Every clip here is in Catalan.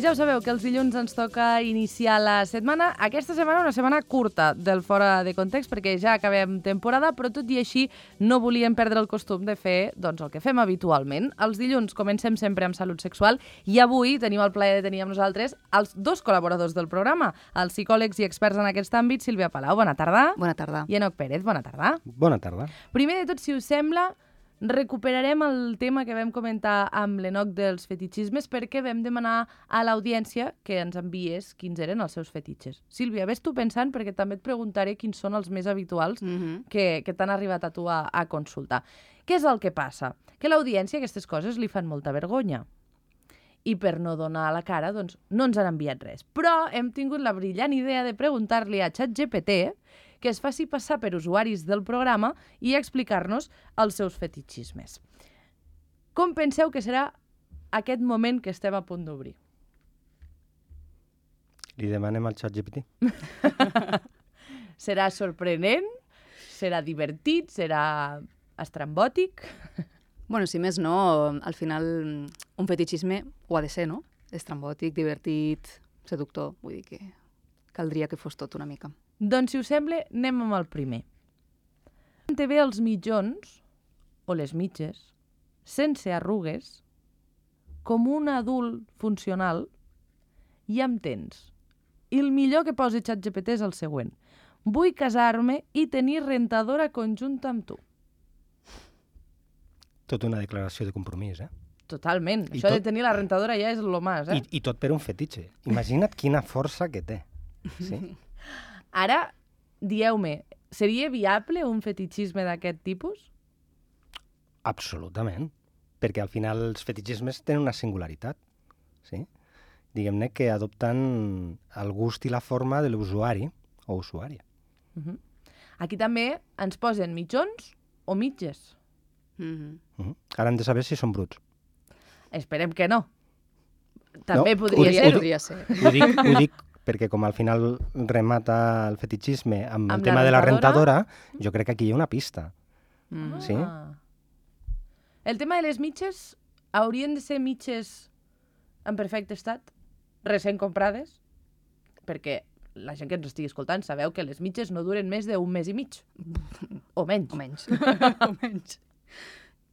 ja ho sabeu, que els dilluns ens toca iniciar la setmana. Aquesta setmana una setmana curta del Fora de Context, perquè ja acabem temporada, però tot i així no volíem perdre el costum de fer el que fem habitualment. Els dilluns comencem sempre amb salut sexual i avui tenim el plaer de tenir amb nosaltres els dos col·laboradors del programa, els psicòlegs i experts en aquest àmbit, Sílvia Palau, bona tarda. Bona tarda. I Enoc Pérez, bona tarda. Bona tarda. Primer de tot, si us sembla, recuperarem el tema que vam comentar amb l'Enoc dels fetitxismes perquè vam demanar a l'audiència que ens enviés quins eren els seus fetitxes. Sílvia, ves tu pensant perquè també et preguntaré quins són els més habituals que t'han arribat a tu a consultar. Què és el que passa? Que a l'audiència aquestes coses li fan molta vergonya. I per no donar la cara, doncs, no ens han enviat res. Però hem tingut la brillant idea de preguntar-li a ChatGPT que es faci passar per usuaris del programa i explicar-nos els seus fetitxismes. Com penseu que serà aquest moment que estem a punt d'obrir? Li demanem al ChatGPT. Serà sorprenent? Serà divertit? Serà estrambòtic? Bueno, si més no, al final un fetitxisme ho ha de ser, no? Estrambòtic, divertit, seductor. Vull dir que caldria que fos tot una mica. Doncs, si us sembla, anem amb el primer. Té bé els mitjons, o les mitges, sense arrugues, com un adult funcional, i amb tens. I el millor que posi ChatGPT és el següent. Vull casar-me i tenir rentadora conjunta amb tu. Tot una declaració de compromís, eh? Totalment. Això de tenir la rentadora ja és lo más, eh? I tot per un fetitxe. Imagina't quina força que té. Sí? Ara, dieu-me, seria viable un fetitxisme d'aquest tipus? Absolutament. Perquè al final els fetitxismes tenen una singularitat. Sí? Diguem-ne que adopten el gust i la forma de l'usuari o usuària. Aquí també ens posen mitjons o mitges. Ara hem de saber si són bruts. Esperem que no. També No, podria ser. Ho dic perquè com al final remata el fetitxisme amb el tema de la rentadora, rentadora, jo crec que aquí hi ha una pista. Sí? El tema de les mitges haurien de ser mitges en perfecte estat, recent comprades, perquè la gent que ens estigui escoltant sabeu que les mitges no duren més d'un mes i mig. O menys. O menys. O menys.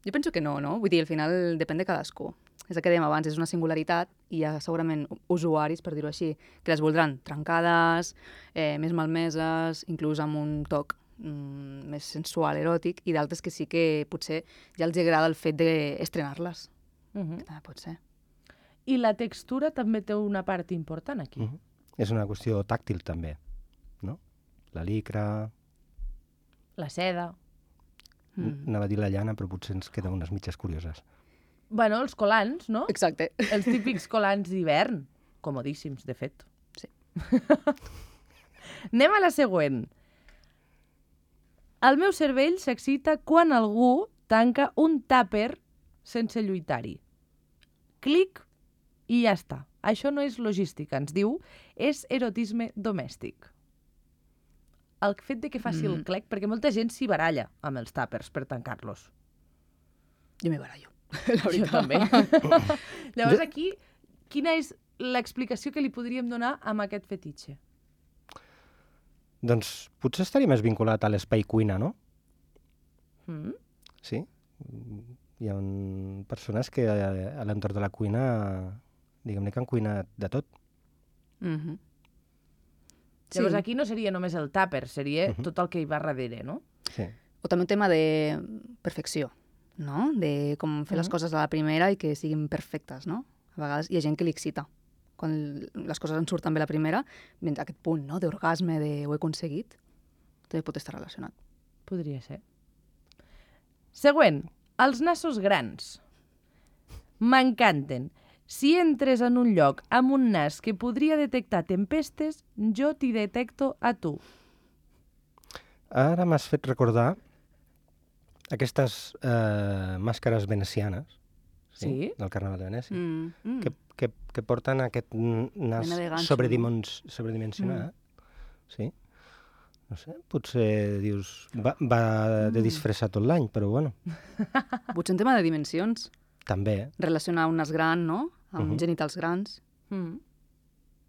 Jo penso que no, no? Vull dir, al final depèn de cadascú. És el que dèiem abans, és una singularitat i hi ha segurament usuaris, per dir-ho així, que les voldran trencades, més malmeses, inclús amb un toc més sensual, eròtic, i d'altres que sí que potser ja els agrada el fet d'estrenar-les. Que també pot ser. I la textura també té una part important aquí. És una qüestió tàctil també, no? La licra... La seda... Anava a dir la llana, però potser ens queden unes mitges curioses. Bueno, els colants, no? Exacte. Els típics colants d'hivern. Comodíssims, de fet. Sí. Anem a la següent. El meu cervell s'excita quan algú tanca un tàper sense lluitar-hi. Clic i ja està. Això no és logística, ens diu, és erotisme domèstic. El fet de que faci el clec, perquè molta gent s'hi baralla amb els tàpers per tancar-los. Jo m'hi barallo, la veritat. Jo també. Llavors aquí, quina és l'explicació que li podríem donar amb aquest fetitxe? Doncs potser estaria més vinculat a l'espai cuina, no? Sí? Hi ha persones que a l'entorn de la cuina, diguem-ne que han cuinat de tot. Llavors aquí no seria només el tàper, seria tot el que hi va darrere, no? Sí. O també un tema de perfecció, no? De com fer les coses a la primera i que siguin perfectes, no? A vegades hi ha gent que li excita. Quan les coses en surten bé la primera, aquest punt, no?, d'orgasme, de ho he aconseguit, també pot estar relacionat. Podria ser. Següent, els nassos grans. M'encanten. Si entres en un lloc amb un nas que podria detectar tempestes, jo t'hi detecto a tu. Ara m'has fet recordar aquestes màscares venecianes, Sí? del Carnaval de Venècia, que porten aquest nas ganxo, sobredimensionat. Sí? No sé, potser dius, va de disfressa tot l'any, però bueno. Potser un tema de dimensions. També. Relacionar un nas gran, no?, amb genitals grans.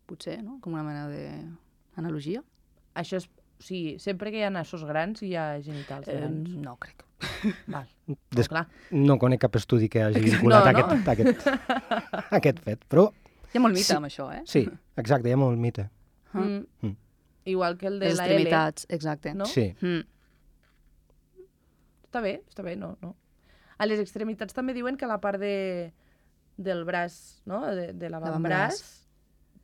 Potser, no? Com una mena d'analogia. Això és... O sigui, sempre que hi ha nassos grans hi ha genitals grans. No crec. Val. Clar. No conec cap estudi que hagi vinculat aquest fet, però... Hi ha molt mite amb això, Sí, exacte, hi ha molt mite. Igual que el de les la extremitats, exacte. No? Sí. Està bé, no. A les extremitats també diuen que la part del braç, no? De l'avantbraç,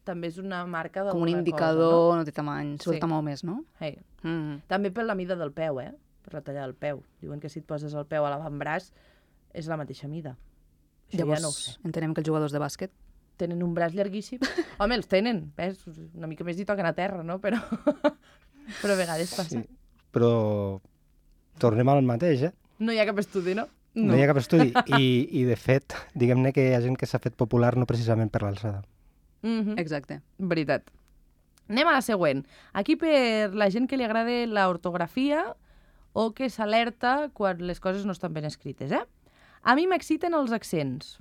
també és una marca d'alguna cosa. Com un indicador, no té tamany, sobretot molt més, no? Hey. També per la mida del peu, per la talla del peu. Diuen que si et poses el peu a l'avantbraç és la mateixa mida. Això llavors, ja no ho sé. entenem que els jugadors de bàsquet tenen un braç llarguíssim. Home, els tenen, ves? Una mica més hi toquen a terra, no? Però a vegades passa. Sí. Però tornem al mateix, No hi ha cap estudi, no? No hi ha cap estudi. I de fet, diguem-ne que hi ha gent que s'ha fet popular no precisament per l'alçada. Exacte. Veritat. Anem a la següent. Aquí per la gent que li agrada l'ortografia o que s'alerta quan les coses no estan ben escrites, A mi m'exciten els accents.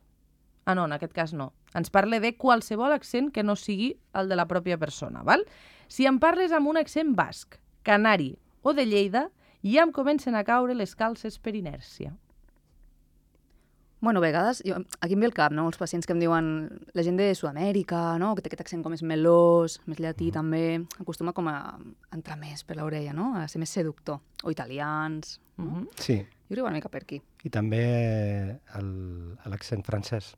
No, en aquest cas no. Ens parla de qualsevol accent que no sigui el de la pròpia persona, val? Si em parles amb un accent basc, canari o de Lleida, ja em comencen a caure les calces per inèrcia. Bueno, a vegades, aquí em ve el cap, no? Els pacients que em diuen la gent de Sud-amèrica, no? Que té aquest accent com més melós, més llatí també, acostuma com a entrar més per l'orella, no? A ser més seductor. O italians, no? Sí. Jo crec una mica per aquí. I també l'accent francès.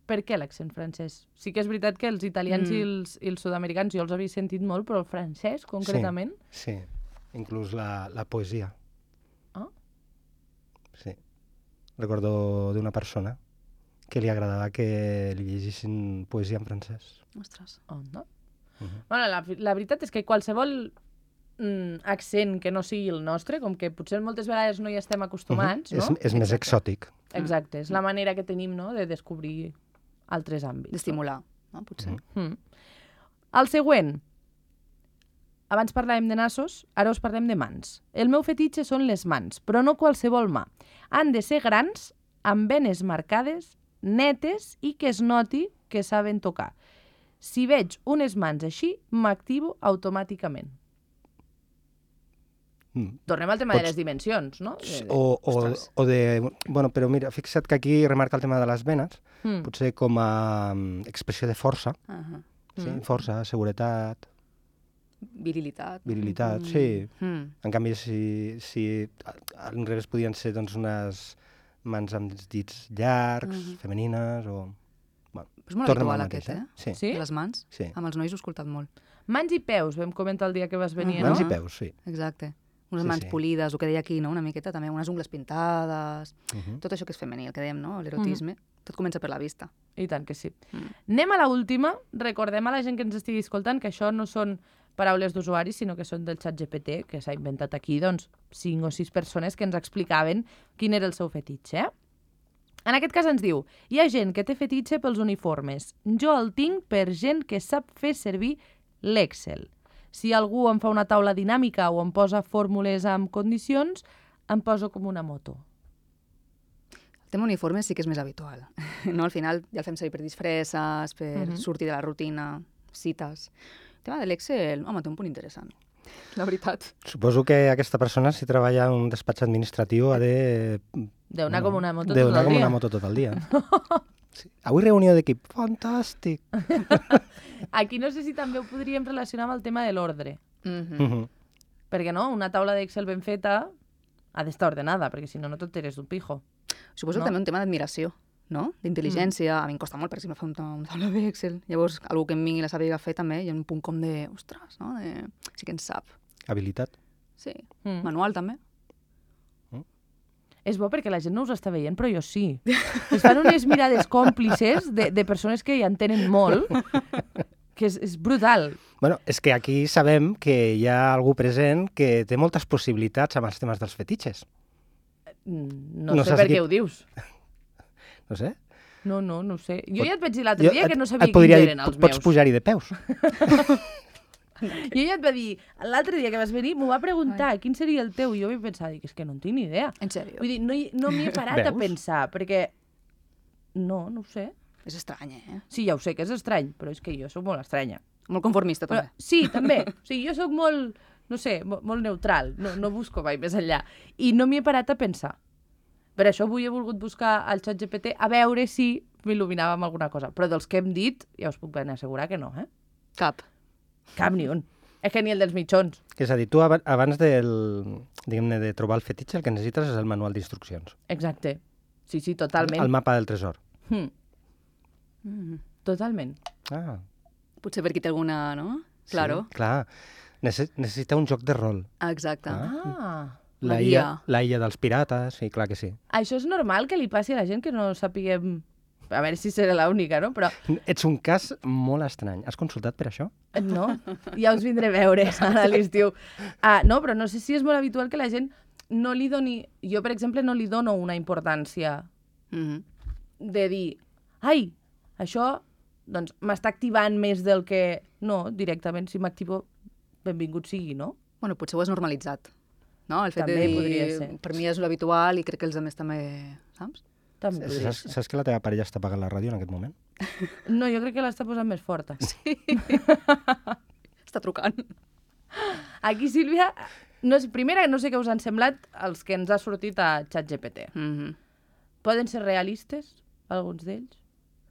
Per què l'accent francès? Sí que és veritat que els italians i els sud-americans jo els havia sentit molt, però el francès, concretament... Sí. Inclús la poesia. Sí. Recordo d'una persona que li agradava que li llegissin poesia en francès. Ostres. No? Bueno, la veritat és que qualsevol accent que no sigui el nostre, com que potser moltes vegades no hi estem acostumats, no? És més exòtic. Exacte, és la manera que tenim, no?, de descobrir altres àmbits. D'estimular, no? Potser. El següent. Abans parlàvem de nassos, ara us parlem de mans. El meu fetitxe són les mans, però no qualsevol mà. Han de ser grans, amb venes marcades, netes i que es noti que saben tocar. Si veig unes mans així, m'activo automàticament. Tornem al tema de les dimensions, no? Bueno, però mira, fixa't que aquí remarca el tema de les venes, potser com a expressió de força. Sí, força, seguretat... Virilitat. Virilitat, sí. En canvi, si al revés podien ser doncs, unes mans amb els dits llargs, femenines o... Bueno, és molt habitual aquest, Sí. Sí? Les mans. Sí. Amb els nois ho he escoltat molt. Mans i peus, vam comentar el dia que vas venir, no? Mans i peus, sí. Exacte. Unes mans polides, el que deia aquí, no? Una miqueta també, unes ungles pintades, tot això que és femení, el que dèiem, no? L'erotisme, tot comença per la vista. I tant que sí. Anem a l'última, recordem a la gent que ens estigui escoltant que això no són paraules d'usuaris, sinó que són del ChatGPT, que s'ha inventat aquí, doncs, 5 o 6 persones que ens explicaven quin era el seu fetitxe. En aquest cas ens diu, hi ha gent que té fetitxe pels uniformes. Jo el tinc per gent que sap fer servir l'Excel. Si algú em fa una taula dinàmica o em posa fórmules amb condicions, em poso com una moto. El tema uniforme sí que és més habitual. No? Al final ja el fem servir per disfresses, per sortir de la rutina, cites. El tema de l'Excel, home, té un punt interessant, la veritat. Suposo que aquesta persona, si treballa en un despatx administratiu, ha de... Deu-anar com una moto tot el dia. Deu-anar com una moto tot el dia. Sí. Avui reunió d'equip. Fantàstic! Aquí no sé si també ho podríem relacionar amb el tema de l'ordre. Perquè no, una taula d'Excel ben feta ha d'estar ordenada, perquè si no, no tot eres un pijo. Suposo també un tema d'admiració, no? D'intel·ligència. A mi em costa molt, per exemple, fer una taula d'Excel. Llavors, algú que em vingui la sàpiga fer també, hi ha un punt com de, ostres, no? Sí que en sap. Habilitat. Sí. Manual també. És bo perquè la gent no us està veient, però jo sí. Es fan unes mirades còmplices de persones que hi entenen molt, que és brutal. Bueno, és que aquí sabem que hi ha algú present que té moltes possibilitats amb els temes dels fetitxes. No sé per què ho dius. No sé. No ho sé. Jo ja et vaig dir l'altre dia que no sabia quins eren els meus. Pots pujar-hi de peus. Jo ja et va dir, l'altre dia que vas venir, m'ho va preguntar quin seria el teu, i jo vaig pensar, és que no en tinc ni idea. En sèrio? Vull dir, no m'hi he parat a pensar, perquè... No ho sé. És estrany, eh? Sí, ja ho sé que és estrany, però és que jo sóc molt estranya. Molt conformista, Però, també. sí, també. O sigui, jo sóc molt, no sé, molt neutral. No busco mai més enllà. I no m'hi he parat a pensar. Per això avui he volgut buscar al ChatGPT a veure si m'il·luminava amb alguna cosa. Però dels que hem dit, ja us puc ben assegurar que no, eh? Cap. Cap ni un. És que ni el dels mitjons. És a dir, tu abans diguem-ne, de trobar el fetitxe, el que necessites és el manual d'instruccions. Exacte. Sí, totalment. El mapa del tresor. Totalment. Ah, Potser per qui té alguna, no? Claro. sí, clar. Necessita un joc de rol. Exacte. Ah. La illa dels pirates, sí, clar que sí. Això és normal que li passi a la gent que no sapiguem... A veure si serà l'única, no? Però Ets un cas molt estrany. Has consultat per això? no, ja us vindré a veure ara a l'estiu. No, però no sé si és molt habitual que la gent no li doni... Jo, per exemple, no li dono una importància de dir ai, això doncs m'està activant més del que... No, directament, si m'activo, benvingut sigui, no? Bueno, potser ho has normalitzat. No? El fet També de dir, podria ser. per mi és l'habitual i crec que els altres també, saps? També podria ser. Saps que la teva parella està apagant la ràdio en aquest moment? No, jo crec que l'està posant més forta. Està trucant. Aquí, Sílvia, primera, no sé què us han semblat els que ens ha sortit a ChatGPT. Poden ser realistes, alguns d'ells?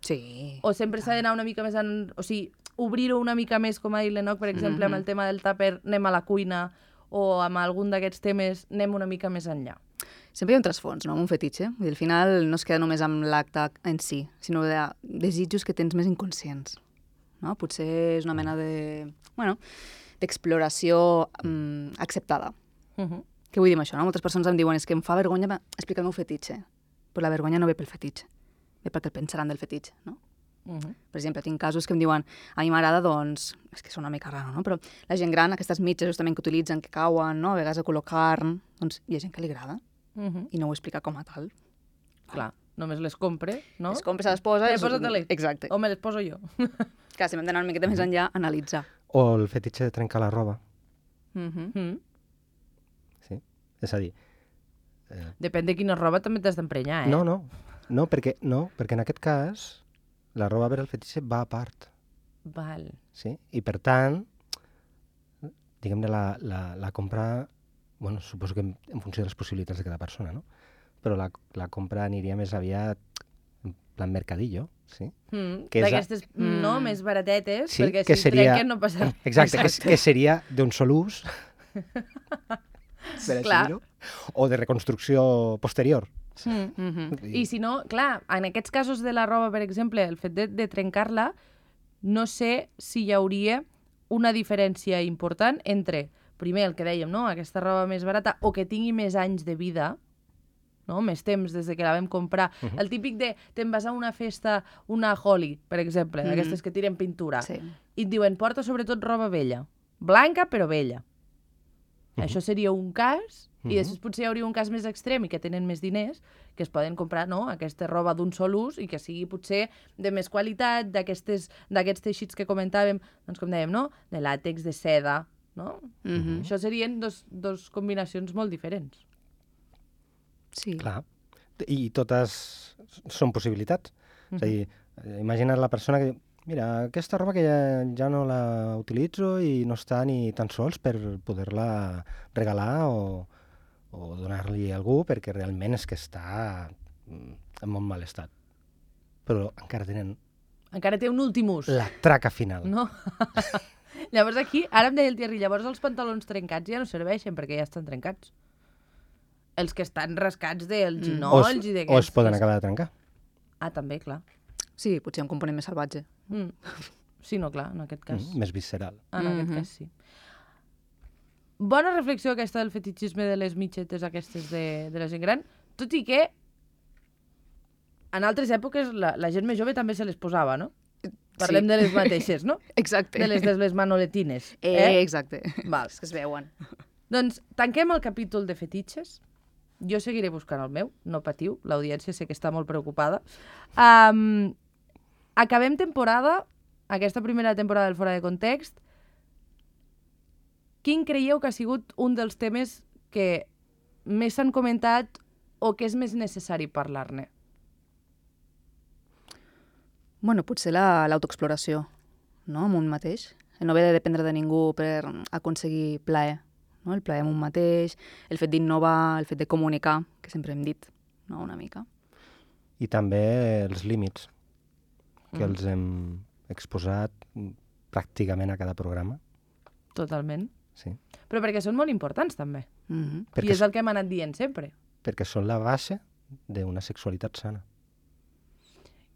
Sí. O sempre s'ha d'anar una mica més o sigui, obrir-ho una mica més, com ha dit l'Enoc, per exemple, amb el tema del tàper, anem a la cuina, o amb algun d'aquests temes anem una mica més enllà. Sempre hi ha un trasfons, no?, amb un fetitxe. Vull dir, al final no es queda només amb l'acte en si, sinó de desitjos que tens més inconscients. No? Potser és una mena de... Bueno, d'exploració acceptada. Què vull dir amb això? No? Moltes persones em diuen és que em fa vergonya explicar el meu fetitxe. Però la vergonya no ve pel fetitxe, ve perquè el pensaran del fetitxe, no? Per exemple, tinc casos que em diuen a mi m'agrada, doncs, és que és una mica raro, no? Però la gent gran, aquestes mitges justament que utilitzen, que cauen, no? A vegades a color carn, doncs hi ha gent que li agrada i no ho explica com a tal. Clar, només les compre, no? Les compres, se les posa... Posa-te-les. Exacte. O me les poso jo. Clar, si hem d'anar una miqueta més enllà, analitzar. O el fetitxe de trencar la roba. Sí? És a dir... Depèn de quina roba també t'has d'emprenyar, eh? No, perquè en aquest cas la roba per al fetitxe va a part. Val. Sí? I per tant, diguem-ne, la compra, bueno, suposo que en funció de les possibilitats de cada persona, no? Però la compra aniria més aviat en plan mercadillo, sí? Que és d'aquestes, no, més baratetes, sí, perquè que si trenquen no passa res. Exacte, que seria d'un sol ús, per Clar. dir-ho, o de reconstrucció posterior. I si no, clar, en aquests casos de la roba, per exemple, el fet de trencar-la, no sé si hi hauria una diferència important entre, primer, el que dèiem, no? Aquesta roba més barata o que tingui més anys de vida, no? Més temps des de que la vam comprar. El típic de te'n vas a una festa, una Holly, per exemple, d'aquestes que tiren pintura, Sí. i et diuen, porta sobretot roba vella. Blanca, però vella. Això seria un cas, i després potser hi hauria un cas més extrem i que tenen més diners, que es poden comprar, no?, aquesta roba d'un sol ús i que sigui potser de més qualitat, d'aquests teixits que comentàvem, doncs com dèiem, no?, de làtex, de seda, no? Això serien dos combinacions molt diferents. Sí. Clar. I totes són possibilitats. És a dir, imagina't la persona que diu, mira, aquesta roba que ja no la utilitzo i no està ni tan sols per poder-la regalar o donar-li a algú perquè realment és que està en molt mal estat. Però encara tenen Encara té un últim ús. la traca final. No? Llavors aquí, ara em deia el Thierry, llavors els pantalons trencats ja no serveixen perquè ja estan trencats. Els que estan rascats dels ginolls i d'aquests... O es poden acabar de trencar. Ah, també, clar. Sí, potser un component més salvatge. Sí, no, clar, en aquest cas. Més visceral. En aquest cas, sí. Bona reflexió aquesta del fetitxisme de les mitgetes aquestes de la gent gran, tot i que en altres èpoques la gent més jove també se les posava, no? Parlem de les mateixes, no? Exacte. De les manoletines. Exacte. Val. És que es veuen. Doncs tanquem el capítol de fetitxes. Jo seguiré buscant el meu, no patiu, l'audiència sé que està molt preocupada. Acabem temporada, aquesta primera temporada del Fora de Context. Quin creieu que ha sigut un dels temes que més s'han comentat o que és més necessari parlar-ne? Bueno, potser l'autoexploració, no?, amb un mateix. El no haver de dependre de ningú per aconseguir plaer, no? El plaer amb un mateix, el fet d'innovar, el fet de comunicar, que sempre hem dit, no?, una mica. I també els límits, que els hem exposat pràcticament a cada programa. Totalment. Sí. Però perquè són molt importants, també. Perquè I és el que hem anat dient sempre. Perquè són la base d'una sexualitat sana.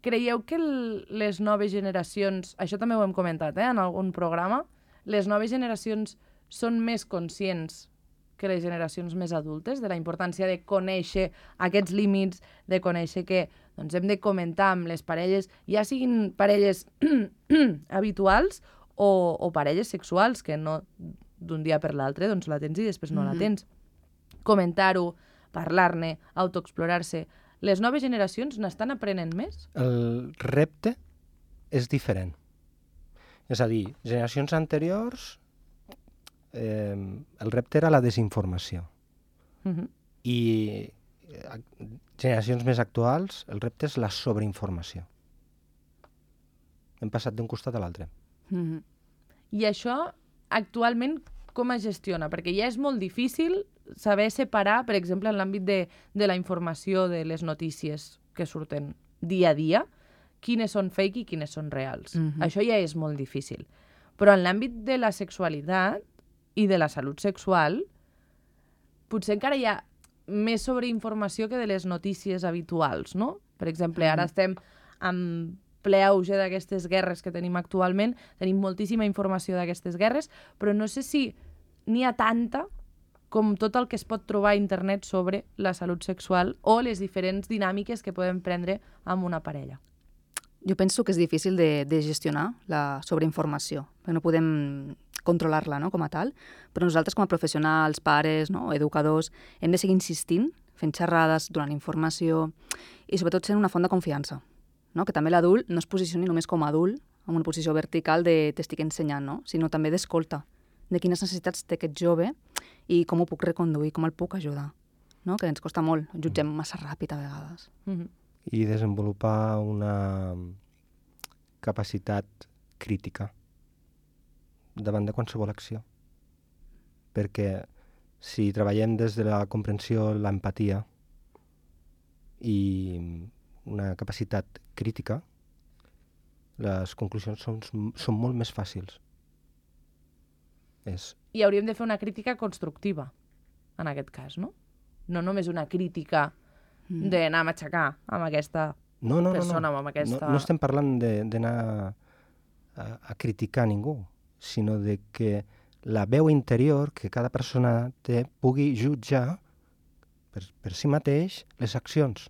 Creieu que les noves generacions, això també ho hem comentat en algun programa, les noves generacions són més conscients que les generacions més adultes de la importància de conèixer aquests límits, de conèixer que doncs, hem de comentar amb les parelles, ja siguin parelles habituals o parelles sexuals, que no d'un dia per l'altre doncs, la tens i després no la tens. Comentar-ho, parlar-ne, autoexplorar-se. Les noves generacions n'estan aprenent més? El repte és diferent. És a dir, generacions anteriors, el repte era la desinformació. I generacions més actuals, el repte és la sobreinformació. Hem passat d'un costat a l'altre. I això, actualment, com es gestiona? Perquè ja és molt difícil saber separar, per exemple, en l'àmbit de la informació de les notícies que surten dia a dia, quines són fake i quines són reals. Això ja és molt difícil. Però en l'àmbit de la sexualitat i de la salut sexual, potser encara hi ha més sobreinformació que de les notícies habituals, no? Per exemple, ara estem en ple auge d'aquestes guerres que tenim actualment, tenim moltíssima informació d'aquestes guerres, però no sé si n'hi ha tanta com tot el que es pot trobar a internet sobre la salut sexual o les diferents dinàmiques que podem prendre amb una parella. Jo penso que és difícil de gestionar la sobreinformació, perquè no podem controlar-la, no?, com a tal, però nosaltres com a professionals, pares, no?, educadors, hem de seguir insistint, fent xerrades, donant informació i sobretot sent una font de confiança, no?, que també l'adult no es posicioni només com a adult, en una posició vertical de t'estic ensenyant, no?, sinó també d'escolta, de quines necessitats té aquest jove i com ho puc reconduir, com el puc ajudar, no?, que ens costa molt, jutgem massa ràpid a vegades. I desenvolupar una capacitat crítica davant de qualsevol acció. Perquè si treballem des de la comprensió, l'empatia i una capacitat crítica, les conclusions són molt més fàcils. I hauríem de fer una crítica constructiva, en aquest cas, no? No només una crítica d'anar a matxacar amb aquesta persona o amb aquesta... No estem parlant d'anar a criticar ningú, sinó de que la veu interior que cada persona té pugui jutjar per si mateix les accions.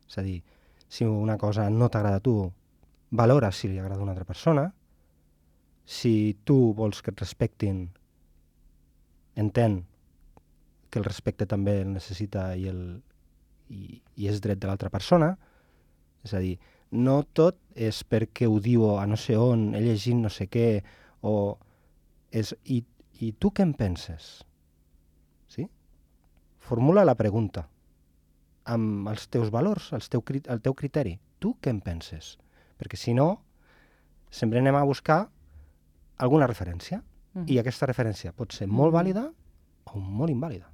És a dir, si una cosa no t'agrada a tu, valora si li agrada a una altra persona. Si tu vols que et respectin, entén que el respecte també el necessita i és dret de l'altra persona. És a dir, no tot és perquè ho diu a no sé on, he llegit no sé què, o és, i tu què en penses? Sí? Formula la pregunta amb els teus valors, el teu criteri. Tu què en penses? Perquè si no, sempre anem a buscar alguna referència. I aquesta referència pot ser molt vàlida o molt invàlida.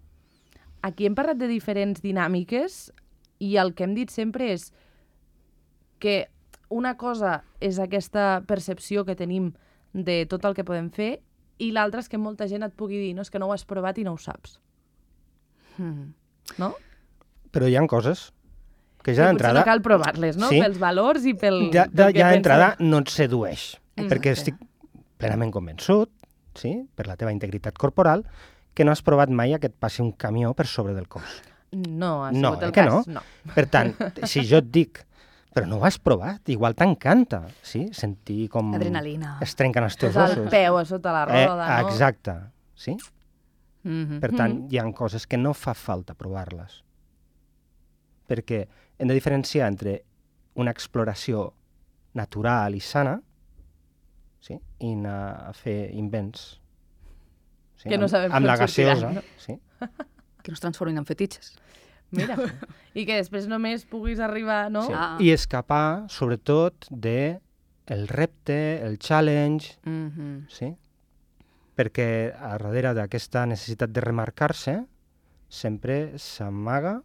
Aquí hem parlat de diferents dinàmiques i el que hem dit sempre és que una cosa és aquesta percepció que tenim de tot el que podem fer i l'altra és que molta gent et pugui dir no, és que no ho has provat i no ho saps. No? Però hi ha coses que ja d'entrada... Potser no cal provar-les, no? Sí. Pels valors i pel... Ja d'entrada no et sedueix, perquè estic plenament convençut, sí, per la teva integritat corporal, que no has provat mai que et passi un camió per sobre del cos. No, ha sigut el cas, no. Per tant, si jo et dic, però no ho has provat, igual t'encanta, sí? Sentir com... Adrenalina. Es trenquen els teus ossos. ossos. El peu a sota la roda, no? Exacte, sí? Per tant, hi ha coses que no fa falta provar-les. Perquè hem de diferenciar entre una exploració natural i sana, sí? I anar a fer invents. Sí? Que no sabem amb la com sortiran, gaseosa, no? sí? Que no es transformin en fetitxes. Mira, i que després només puguis arribar, no? Sí. Ah. I escapar, sobretot, de el repte, el challenge, sí? Perquè a darrere d'aquesta necessitat de remarcar-se sempre s'amaga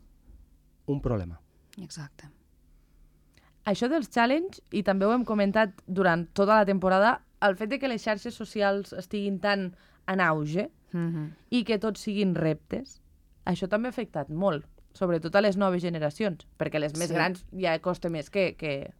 un problema. Exacte. Això dels challenge, i també ho hem comentat durant tota la temporada, el fet de que les xarxes socials estiguin tan en auge i que tots siguin reptes, això també ha afectat molt, sobretot a les noves generacions, perquè les més grans ja costa més que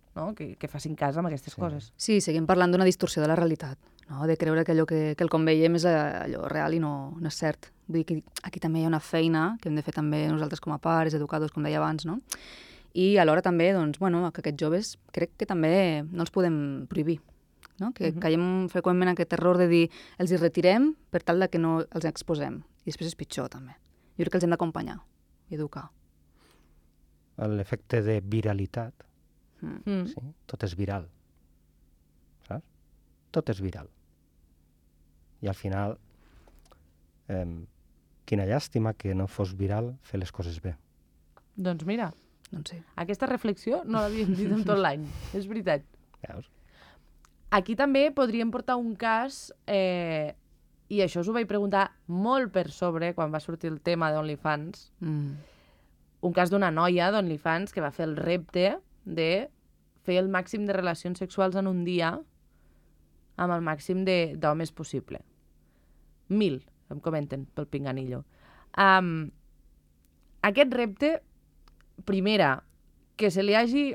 facin cas amb aquestes coses. Sí, seguim parlant d'una distorsió de la realitat, no? De creure que allò que el com veiem és allò real i no és cert. Vull dir que aquí també hi ha una feina que hem de fer també nosaltres com a pares, educadors, com deia abans, no? I alhora també, doncs, bueno, que aquests joves crec que també no els podem prohibir, no? Que caiem freqüentment en aquest error de dir els hi retirem per tal de que no els exposem. I després és pitjor, també. Jo crec que els hem d'acompanyar i educar. L'efecte de viralitat, sí? Tot és viral, saps? Tot és viral. I al final, quina llàstima que no fos viral fer les coses bé. Doncs mira, Doncs sí. aquesta reflexió no l'havíem dit en tot l'any, és veritat. Veus? Aquí també podríem portar un cas, i això us ho vaig preguntar molt per sobre quan va sortir el tema d'OnlyFans, un cas d'una noia d'OnlyFans que va fer el repte de fer el màxim de relacions sexuals en un dia amb el màxim d'homes possible. 1000, em comenten, pel pinganillo. Aquest repte, primera, que se li hagi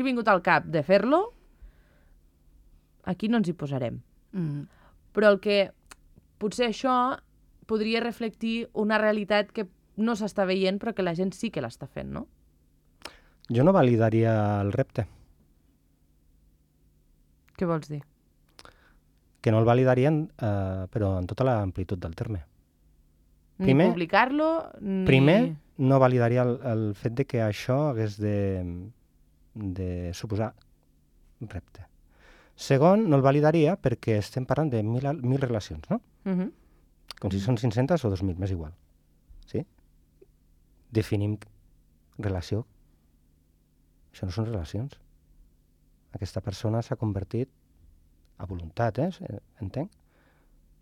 vingut al cap de fer-lo, aquí no ens hi posarem. Però el que potser això podria reflectir una realitat que no s'està veient però que la gent sí que l'està fent, no? Jo no validaria el repte. Què vols dir? Que no el validarien, però en tota l'amplitud del terme. Ni publicar-lo, ni... Primer, no validaria el fet de que això hagués de suposar repte. Segon, no el validaria perquè estem parlant de 1.000 relacions, no? Com si són 500 o 2.000, m'és igual. Sí? Definim relació. Això no són relacions. Aquesta persona s'ha convertit, a voluntat, entenc,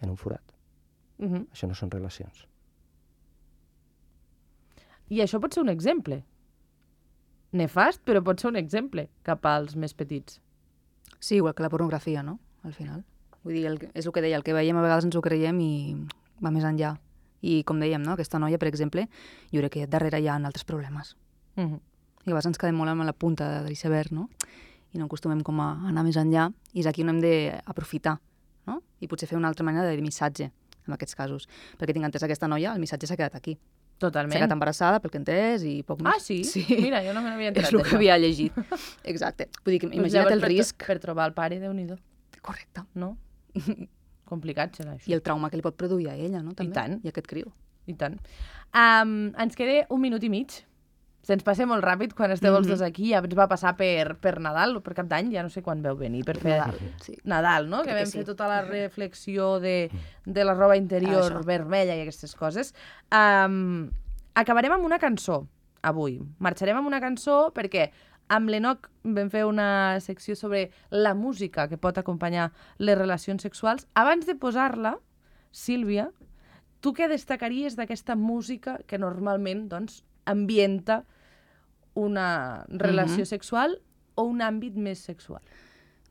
en un forat. Això no són relacions. I això pot ser un exemple. Nefast, però pot ser un exemple cap als més petits. Sí, igual que la pornografia, no? Al final. Vull dir, és el que deia, el que veiem a vegades ens ho creiem i va més enllà. I com dèiem, no? Aquesta noia, per exemple, jo crec que darrere hi ha altres problemes. I a vegades ens quedem molt amb la punta de l'iceberg, no? I no acostumem com a anar més enllà. I és aquí on hem d'aprofitar, no? I potser fer una altra manera de missatge en aquests casos. Perquè tinc entès aquesta noia, el missatge s'ha quedat aquí. Totalment. S'ha quedat embarassada, pel que he entès, i poc més. Ah, sí? Sí. Mira, jo no me n'havia enterat. És el que havia llegit. Exacte. Vull dir que imagina't el risc. Per trobar el pare, Déu-n'hi-do. Correcte. No? Complicat serà això. I el trauma que li pot produir a ella, no? També. I tant. I aquest criu. I tant. Ens queda 1 minut i mig. Se'ns passa molt ràpid quan esteu els dos aquí. Ja ens va passar per Nadal o per Cap d'Any, ja no sé quan veu venir per fer Nadal, sí. Nadal, no? Que vam fer tota la reflexió de la roba interior vermella i aquestes coses. Acabarem amb una cançó avui. Marxarem amb una cançó perquè amb l'Enoc vam fer una secció sobre la música que pot acompanyar les relacions sexuals. Abans de posar-la, Sílvia, tu què destacaries d'aquesta música que normalment, doncs, ambienta una relació sexual o un àmbit més sexual?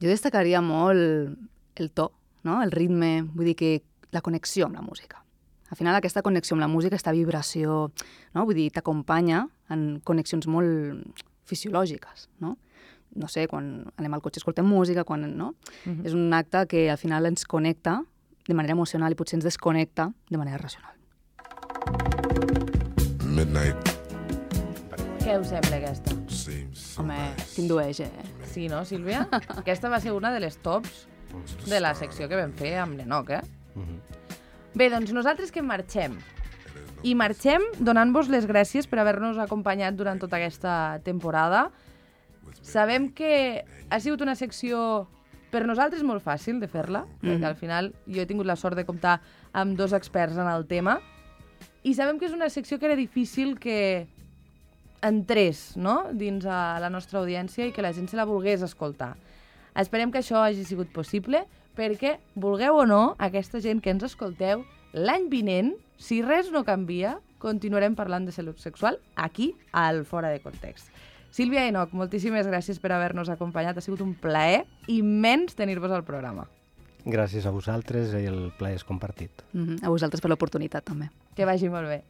Jo destacaria molt el to, no? El ritme, vull dir que la connexió amb la música. Al final aquesta connexió amb la música, aquesta vibració, no? Vull dir, t'acompanya en connexions molt fisiològiques, no? No sé, quan anem al cotxe escoltem música, quan, no? És un acte que al final ens connecta de manera emocional i potser ens desconnecta de manera racional. Midnight. Què us sembla aquesta? Home, t'indueix, Sí, no, Sílvia? Aquesta va ser una de les tops de la secció que vam fer amb l'Enoc, Bé, doncs nosaltres que marxem. I marxem donant-vos les gràcies per haver-nos acompanyat durant tota aquesta temporada. Sabem que ha sigut una secció per nosaltres molt fàcil de fer-la, perquè al final jo he tingut la sort de comptar amb 2 experts en el tema, I sabem que és una secció que era difícil que entrés, no?, dins a la nostra audiència i que la gent se la volgués escoltar. Esperem que això hagi sigut possible perquè, vulgueu o no, aquesta gent que ens escolteu, l'any vinent, si res no canvia, continuarem parlant de salut sexual aquí, al Fora de Context. Sílvia i Enoc, moltíssimes gràcies per haver-nos acompanyat. Ha sigut un plaer immens tenir-vos al programa. Gràcies a vosaltres i el plaer és compartit. A vosaltres per l'oportunitat, també. Que vagi molt bé.